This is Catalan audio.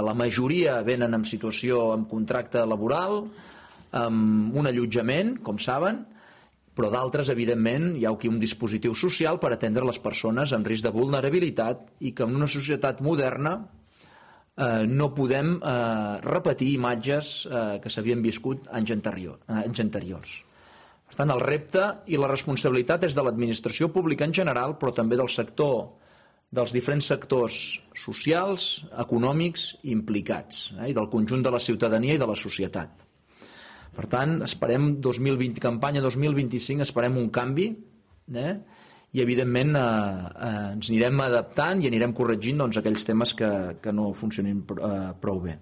La majoria venen en situació amb contracte laboral, amb un allotjament, com saben, però d'altres, evidentment, hi ha aquí un dispositiu social per atendre les persones en risc de vulnerabilitat i que en una societat moderna no podem repetir imatges que s'havien viscut anys anteriors. Per tant, el repte i la responsabilitat és de l'administració pública en general, però també del sector, dels diferents sectors socials, econòmics implicats, i del conjunt de la ciutadania i de la societat. Per tant, esperem campanya 2025, esperem un canvi, i evidentment ens anirem adaptant i anirem corregint aquells temes que no funcionin prou bé.